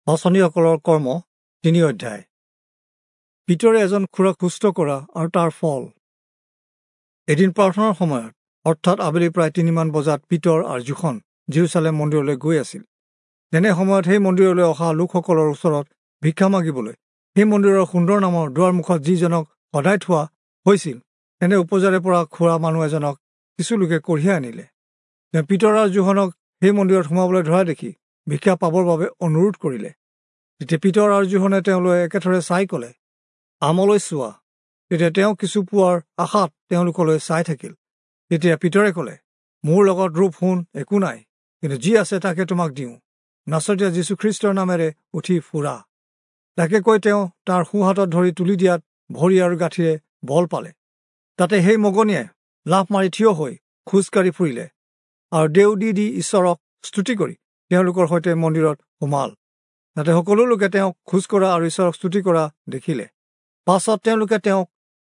পাঁচনিসকলৰ কৰ্ম 3 অধ্যায়। পিতৰে এজন খুৰাক সুস্থ কৰা আৰু তাৰ ফল। এদিন প্ৰাৰ্থনাৰ সময়ত, অৰ্থাৎ আবেলি প্ৰায় 3 মান বজাত পিতৰ আৰু যোহন যিৰূচালেম মন্দিৰলৈ গৈ আছিল। তেনে সময়ত সেই মন্দিৰলৈ অহা লোকসকলৰ ওচৰত ভিক্ষা মাগিবলৈ সেই মন্দিৰৰ সুন্দৰ নামৰ দুৱাৰমুখত যিজনক সদায় থোৱা হৈছিল, তেনে উপজাৰে পৰা খুৰা মানুহ এজনক কিছু লোকে কঢ়িয়াই আনিলে। তেওঁ পিতৰ আৰু যোহনক সেই মন্দিৰত সোমাবলৈ ধৰা দেখি ভিক্ষা পাবৰ বাবে অনুৰোধ কৰিলে। তেতিয়া পিতৰ আৰু যোহনে তেওঁলৈ একেথৰে চাই ক'লে, আমলৈ চোৱা। তেতিয়া তেওঁ কিছু পোৱাৰ আশাত তেওঁলোকলৈ চাই থাকিল। তেতিয়া পিতৰে ক'লে, মোৰ লগত ৰূপ সোণ একো নাই, কিন্তু যি আছে তাকে তোমাক দিওঁ। নাচৰীয়া যীশুখ্ৰীষ্টৰ নামেৰে উঠি ফুৰা। তাকে কৈ তেওঁ তাৰ সোঁহাতত ধৰি তুলি দিয়াত ভৰি আৰু গাঁঠিৰে বল পালে। তাতে সেই মগনীয়াই লাফ মাৰি থিয় হৈ খোজকাঢ়ি ফুৰিলে আৰু দেও দি দি ঈশ্বৰক স্তুতি কৰি তেওঁলোকৰ সৈতে মন্দিৰত সোমাল। তাতে সকলো লোকে তেওঁক খোজকঢ়া আৰু ঈশ্বৰক স্তুতি কৰা দেখিলে। পাছত তেওঁলোকে তেওঁক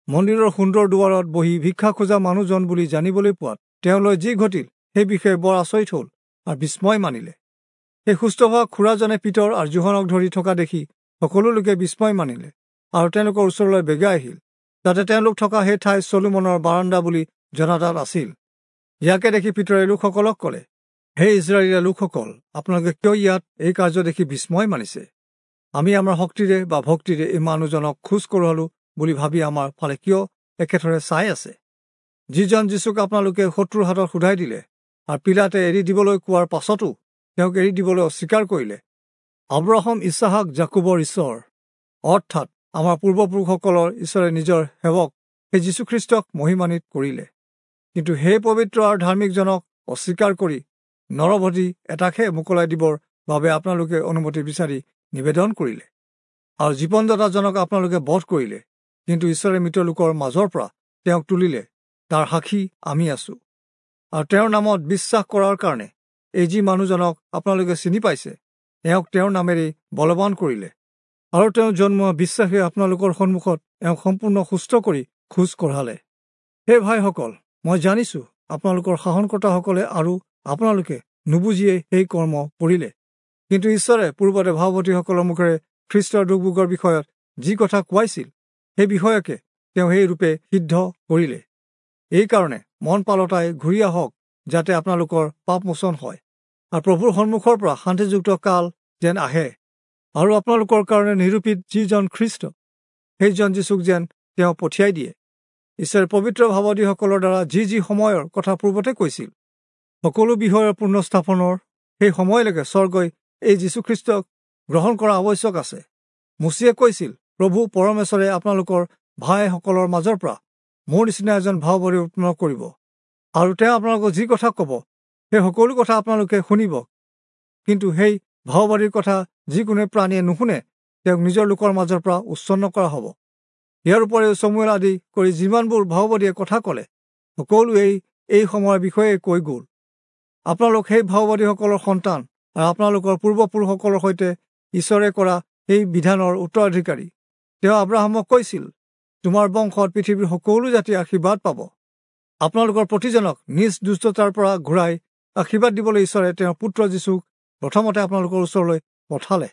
মন্দিৰৰ সুন্দৰ দুৱাৰত বহি ভিক্ষা খোজা মানুহজন বুলি জানিবলৈ পোৱাত তেওঁলৈ যি ঘটিল সেই বিষয়ে বৰ আচৰিত হ'ল আৰু বিস্ময় মানিলে। সেই সুস্থ হোৱা খুৰাজনে পিতৰ আৰু যোহনক ধৰি থকা দেখি সকলো লোকে বিস্ময় মানিলে আৰু তেওঁলোকৰ ওচৰলৈ বেগাই আহিল। তাতে তেওঁলোক থকা সেই ঠাই চলোমনৰ বাৰান্দা বুলি জনাজাত আছিল। ইয়াকে দেখি পিতৰে লোকসকলক ক'লে, হে ইস্ৰায়েলীয়া লোকসকল, আপোনালোকে কিয় ইয়াত এই কাৰ্য দেখি বিস্ময় মানিছে? আমি আমাৰ শক্তিৰে বা ভক্তিৰে এই মানুহজনক খোজ কঢ়ালো বুলি ভাবি আমাৰ ফালে কিয় একেথৰে চাই আছে? যিজন যীচুক আপোনালোকে শত্ৰুৰ হাতত সোধাই দিলে আৰু পীলাতে এৰি দিবলৈ কোৱাৰ পাছতো তেওঁক এৰি দিবলৈ অস্বীকাৰ কৰিলে, আব্ৰাহাম, ইছহাক, যাকোবৰ ঈশ্বৰ, অৰ্থাৎ আমাৰ পূৰ্বপুৰুষসকলৰ ঈশ্বৰে নিজৰ সেৱক সেই যীশুখ্ৰীষ্টক মহিমান্বিত কৰিলে। কিন্তু সেই পবিত্ৰ আৰু ধাৰ্মিকজনক অস্বীকাৰ কৰি নৰবধি এটাকহে মোকলাই দিবৰ বাবে আপোনালোকে অনুমতি বিচাৰি নিবেদন কৰিলে আৰু জীৱনদাতাজনক আপোনালোকে বধ কৰিলে। কিন্তু ঈশ্বৰে মৃত লোকৰ মাজৰ পৰা তেওঁক তুলিলে, তাৰ সাক্ষী আমি আছো। আৰু তেওঁৰ নামত বিশ্বাস কৰাৰ কাৰণে এই যি মানুহজনক আপোনালোকে চিনি পাইছে, এওঁক তেওঁৰ নামেৰেই বলৱান কৰিলে আৰু তেওঁ জন্মোৱা বিশ্বাসে আপোনালোকৰ সন্মুখত এওঁক সম্পূৰ্ণ সুস্থ কৰি খোজ কঢ়ালে। হে ভাইসকল, মই জানিছোঁ আপোনালোকৰ শাসনকৰ্তাসকলে আৰু আপোনালোকে নুবুজিয়ে সেই কৰ্ম কৰিলে। কিন্তু ঈশ্বৰে পূৰ্বতে ভাৱৱতীসকলৰ মুখেৰে খ্ৰীষ্টৰ দুখভোগৰ বিষয়ত যি কথা কোৱাইছিল, সেই বিষয়কে তেওঁ সেই ৰূপে সিদ্ধ কৰিলে। এইকাৰণে মন পালতাই ঘূৰি আহক, যাতে আপোনালোকৰ পাপমোচন হয় আৰু প্ৰভুৰ সন্মুখৰ পৰা শান্তিযুক্ত কাল যেন আহে আৰু আপোনালোকৰ কাৰণে নিৰূপিত যিজন খ্ৰীষ্ট, সেইজন যীচুক যেন তেওঁ পঠিয়াই দিয়ে। ঈশ্বৰে পবিত্ৰ ভাৱবাদীসকলৰ দ্বাৰা যি যি সময়ৰ কথা পূৰ্বতে কৈছিল, সকলো বিষয়ৰ পূৰ্ণস্থাপনৰ সেই সময়লৈকে স্বৰ্গই এই যীশুখ্ৰীষ্টক গ্ৰহণ কৰা আৱশ্যক আছে। মোচিয়ে কৈছিল, প্ৰভু পৰমেশ্বৰে আপোনালোকৰ ভাইসকলৰ মাজৰ পৰা মোৰ নিচিনা এজন ভাৱবাদী উৎপন্ন কৰিব আৰু তেওঁ আপোনালোকক যি কথা ক'ব সেই সকলো কথা আপোনালোকে শুনিব। কিন্তু সেই ভাৱবাদীৰ কথা যিকোনো প্ৰাণীয়ে নুশুনে, তেওঁক নিজৰ লোকৰ মাজৰ পৰা উচ্ছন্ন কৰা হ'ব। ইয়াৰ উপৰিও চমুৱেল আদি কৰি যিমানবোৰ ভাৱবাদীয়ে কথা ক'লে, সকলোৱেই এই সময়ৰ বিষয়ে কৈ গ'ল। আপোনালোক সেই ভাৱবাদীসকলৰ সন্তান আৰু আপোনালোকৰ পূৰ্বপুৰুষসকলৰ সৈতে ঈশ্বৰে কৰা সেই বিধানৰ উত্তৰাধিকাৰী। তেওঁ আব্ৰাহামক কৈছিল, তোমাৰ বংশত পৃথিৱীৰ সকলো জাতিয়ে আশীৰ্বাদ পাব। আপোনালোকৰ প্ৰতিজনক নিজ দুষ্টতাৰ পৰা ঘূৰাই আশীৰ্বাদ দিবলৈ ঈশ্বৰে তেওঁৰ পুত্ৰ যীচুক প্ৰথমতে আপোনালোকৰ ওচৰলৈ পঠালে।